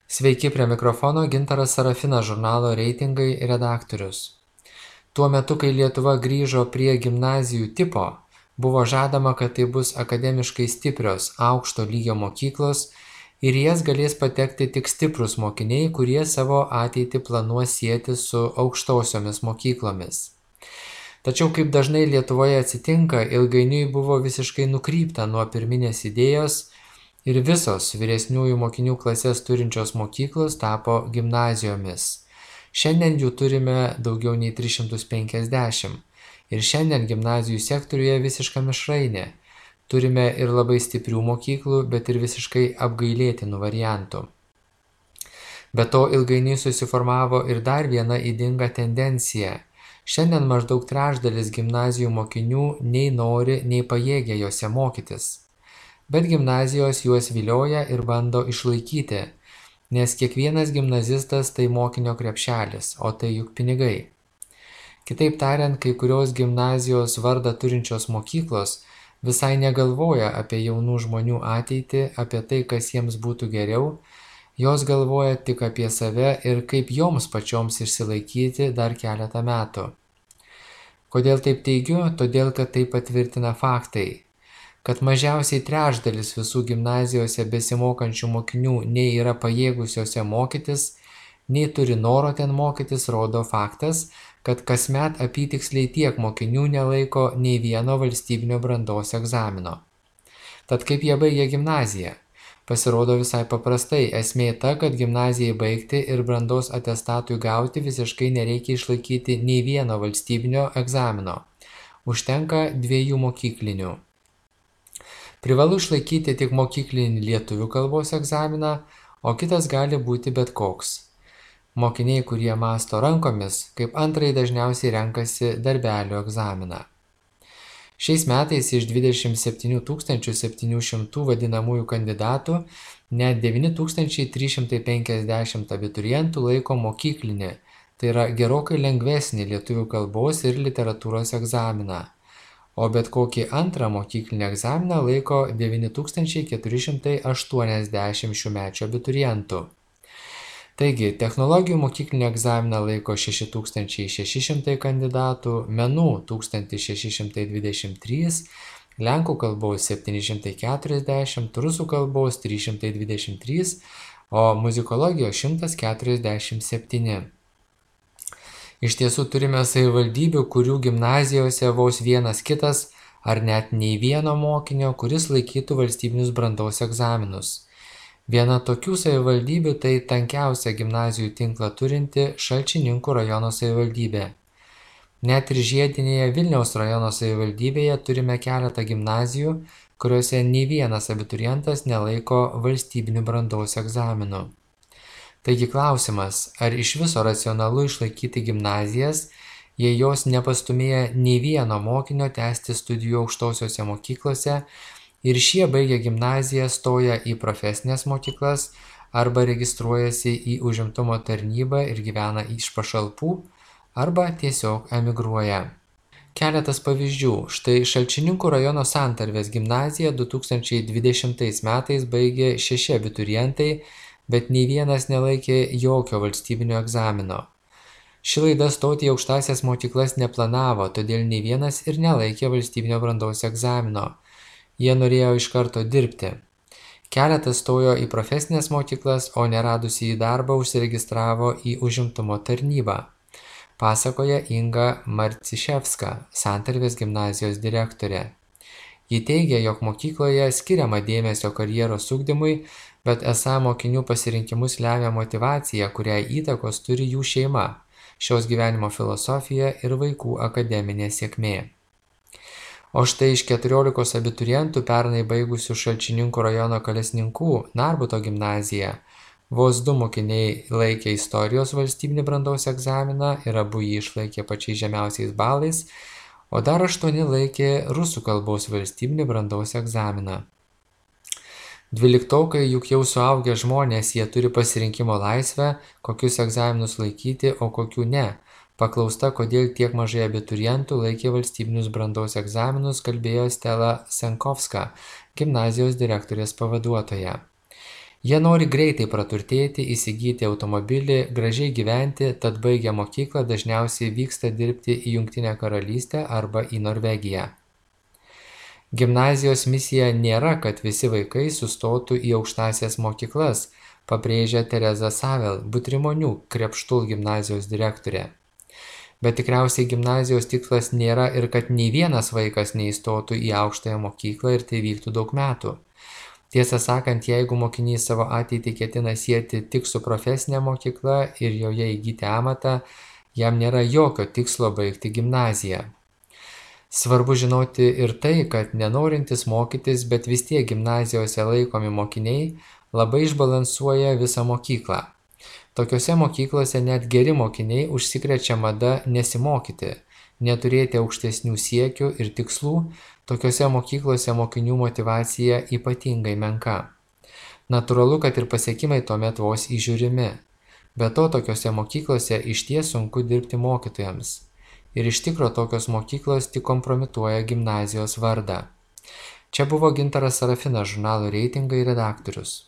Sveiki, prie mikrofono Gintaras Sarafinas, žurnalo Reitingai redaktorius. Tuo metu, kai Lietuva grįžo prie gimnazijų tipo, buvo žadama, kad tai bus akademiškai stiprios, aukšto lygio mokyklos ir į jas galės patekti tik stiprūs mokiniai, kurie savo ateitį planuos sieti su aukštosiomis mokyklomis. Tačiau, kaip dažnai Lietuvoje atsitinka, ilgainiui buvo visiškai nukrypta nuo pirminės idėjos ir visos vyresniųjų mokinių klases turinčios mokyklos tapo gimnazijomis. Šiandien jų turime daugiau nei 350 ir šiandien gimnazijų sektoriuje visiška mišrainė. Turime ir labai stiprių mokyklų, bet ir visiškai apgailėtinų variantų. Be to ilgainiui susiformavo ir dar viena ydinga tendencija. Šiandien maždaug trečdalis gimnazijų mokinių nei nori, nei pajėgia jose mokytis. Bet gimnazijos juos vilioja ir bando išlaikyti, nes kiekvienas gimnazistas tai mokinio krepšelis, o tai juk pinigai. Kitaip tariant, kai kurios gimnazijos vardą turinčios mokyklos visai negalvoja apie jaunų žmonių ateitį, apie tai, kas jiems būtų geriau, jos galvoja tik apie save ir kaip joms pačioms išsilaikyti dar keletą metų. Kodėl taip teigiu? Todėl, kad tai patvirtina faktai. Kad mažiausiai trečdalis visų gimnazijose besimokančių mokinių nei yra pajėgusiose mokytis, nei turi noro ten mokytis, rodo faktas, kad kasmet apytiksliai tiek mokinių nelaiko nei vieno valstybinio brandos egzamino. Tad kaip jie baigia gimnaziją? Pasirodo visai paprastai, esmė ta, kad gimnazijai baigti ir brandos atestatui gauti visiškai nereikia išlaikyti nei vieno valstybinio egzamino. Užtenka 2 mokyklinių. Privalu išlaikyti tik mokyklinį lietuvių kalbos egzaminą, o kitas gali būti bet koks. Mokiniai, kurie mąsto rankomis, kaip antrąjį dažniausiai renkasi darbelio egzaminą. Šiais metais iš 27 700 vadinamųjų kandidatų net 9 350 abiturientų laiko mokyklinį, tai yra gerokai lengvesnį lietuvių kalbos ir literatūros egzaminą, o bet kokį antrą mokyklinį egzaminą laiko 9 480 šiųmečių abiturientų. Taigi, technologijų mokyklinį egzaminą laiko 6600 kandidatų, menų 1623, lenkų kalbos 740, rusų kalbos 323, o muzikologijos 147. Iš tiesų turime savivaldybių, kurių gimnazijose vos vienas kitas ar net nei vieno mokinio, kuris laikytų valstybinius brandos egzaminus. Viena tokių savivaldybių tai tankiausia gimnazijų tinklą turinti Šalčininkų rajono savivaldybė. Net ir žiedinėje Vilniaus rajono savivaldybėje turime keletą gimnazijų, kuriuose nei vienas abiturientas nelaiko valstybinių brandos egzaminų. Taigi klausimas, ar iš viso racionalu išlaikyti gimnazijas, jei jos nepastumėja nei vieno mokinio tęsti studijų aukštosiose mokyklose, ir šie baigę gimnaziją stoja į profesines mokyklas arba registruojasi į užimtumo tarnybą ir gyvena iš pašalpų arba tiesiog emigruoja. Keletas pavyzdžių. Štai Šalčininkų rajono Santarvės gimnaziją 2020 metais baigė 6 abiturientai, bet nei vienas nelaikė jokio valstybinio egzamino. Ši laida stoti į aukštąsias mokyklas neplanavo, todėl nei vienas ir nelaikė valstybinio brandos egzamino. Jie norėjo iš karto dirbti. Keletas stojo į profesinės mokyklas, o neradusi į darbą užsiregistravo į užimtumo tarnybą, pasakoja Inga Marciševska, Santarvės gimnazijos direktorė. Ji teigia, jog mokykloje skiriama dėmesio karjeros ugdymui, bet esą mokinių pasirinkimus lemia motyvacija, kuriai įtakos turi jų šeima, šios gyvenimo filosofija ir vaikų akademinė sėkmė. O štai iš 14 abiturientų pernai baigusių Šalčininkų rajono Kalesninkų Narbuto gimnaziją vos 2 mokiniai laikė istorijos valstybinį brandos egzaminą ir abu jį išlaikė pačiais žemiausiais balais, o dar 8 laikė rusų kalbos valstybinį brandos egzaminą. 12-okai juk jau suaugę žmonės, jie turi pasirinkimo laisvę, kokius egzaminus laikyti, o kokių ne. Paklausta, kodėl tiek mažai abiturientų laikė valstybinius brandos egzaminus, kalbėjo Stela Senkovska, gimnazijos direktorės pavaduotoja. Jie nori greitai praturtėti, įsigyti automobilį, gražiai gyventi, tad baigę mokyklą dažniausiai vyksta dirbti į Jungtinę Karalystę arba į Norvegiją. Gimnazijos misija nėra, kad visi vaikai sustotų į aukštąsias mokyklas, pabrėžia Tereza Savel, Butrimonių Krepštul gimnazijos direktorė. Bet tikriausiai gimnazijos tikslas nėra ir kad nei vienas vaikas neįstotų į aukštąją mokyklą ir tai vyktų daug metų. Tiesą sakant, jeigu mokinys savo ateitį ketina sieti tik su profesinė mokykla ir joje įgyti amatą, jam nėra jokio tikslo baigti gimnaziją. Svarbu žinoti ir tai, kad nenorintis mokytis, bet vis tiek gimnazijose laikomi mokiniai labai išbalansuoja visą mokyklą. Tokiose mokyklose net geri mokiniai užsikrečia mada nesimokyti, neturėti aukštesnių siekių ir tikslų, tokiose mokyklose mokinių motyvacija ypatingai menka. Natūralu, kad ir pasiekimai tuomet vos įžiūrimi. Be to, tokiose mokyklose išties sunku dirbti mokytojams. Ir iš tikro tokios mokyklos tik kompromituoja gimnazijos vardą. Čia buvo Gintaras Sarafinas, žurnalo Reitingai redaktorius.